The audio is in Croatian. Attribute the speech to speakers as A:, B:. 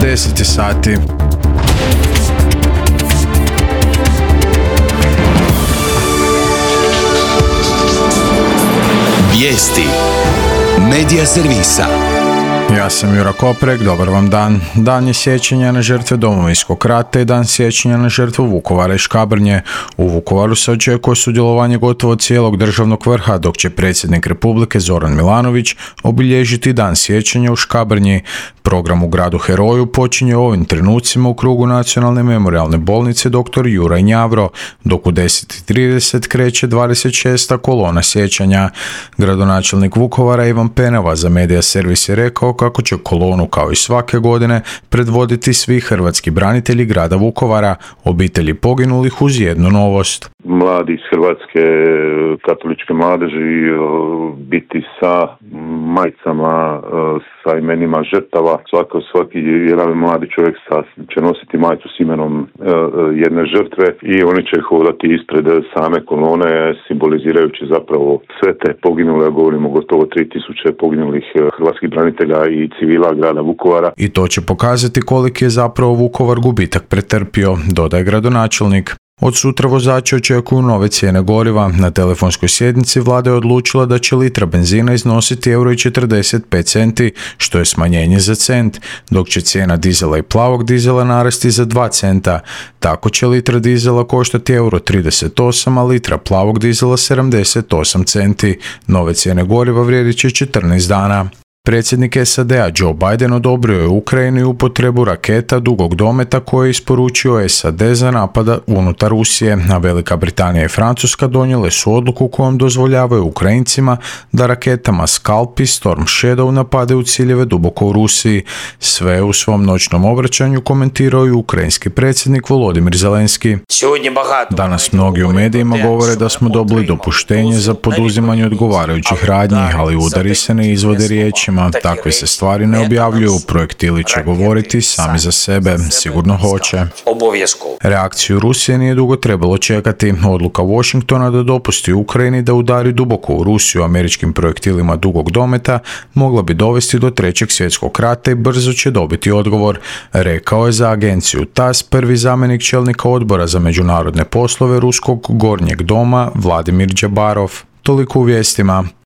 A: 10 sati.
B: Vijesti Medija servisa.
A: Ja sam Jura Koprek, dobar vam dan. Dan je sjećanja na žrtve Domovinskog rata i dan sjećanja na žrtvu Vukovara i Škabrnje. U Vukovaru se očekuje sudjelovanje gotovo cijelog državnog vrha, dok će predsjednik Republike Zoran Milanović obilježiti dan sjećanja u Škabrnji. Program u gradu Heroju počinje u ovim trenucima u krugu Nacionalne memorijalne bolnice dr. Juraj Njavro, dok u 10:30 kreće 26. kolona sjećanja. Gradonačelnik Vukovara Ivan Penava za Medija servis je rekao kako će kolonu kao i svake godine predvoditi svi hrvatski branitelji grada Vukovara, obitelji poginulih uz jednu novost.
C: Mladi iz Hrvatske katoličke mladeži biti sa majicama, sa imenima žrtava. Svaki jedan mladi čovjek će nositi majicu s imenom jedne žrtve i oni će hodati ispred same kolone, simbolizirajući zapravo sve te poginule, govorimo gotovo 3000 poginulih hrvatskih branitelja i civila grada Vukovara.
A: I to će pokazati koliki je zapravo Vukovar gubitak pretrpio, dodaje gradonačelnik. Od sutra vozači očekuju nove cijene goriva. Na telefonskoj sjednici vlada je odlučila da će litra benzina iznositi €1,45, što je smanjenje za cent, dok će cijena dizela i plavog dizela narasti za 2 centa. Tako će litra dizela koštati €38, a litra plavog dizela 78 centi. Nove cijene goriva vrijedit će 14 dana. Predsjednik SAD-a Joe Biden odobrio je Ukrajini upotrebu raketa dugog dometa koje je isporučio SAD za napada unutar Rusije, a Velika Britanija i Francuska donijele su odluku kojom dozvoljavaju Ukrajincima da raketama Scalp i Storm Shadow napadaju ciljeve duboko u Rusiji. Sve u svom noćnom obraćanju komentirao i ukrajinski predsjednik Volodimir Zelenski. Danas mnogi u medijima govore da smo dobili dopuštenje za poduzimanje odgovarajućih radnji, ali udari se ne izvode riječima. Takve se stvari ne objavljuju, projektili će govoriti sami za sebe, sigurno hoće. Reakciju Rusije nije dugo trebalo čekati. Odluka Washingtona da dopusti Ukrajini da udari duboko u Rusiju američkim projektilima dugog dometa mogla bi dovesti do Trećeg svjetskog rata i brzo će dobiti odgovor, rekao je za agenciju TASS prvi zamjenik čelnika odbora za međunarodne poslove Ruskog gornjeg doma Vladimir Džabarov. Toliko u vijestima.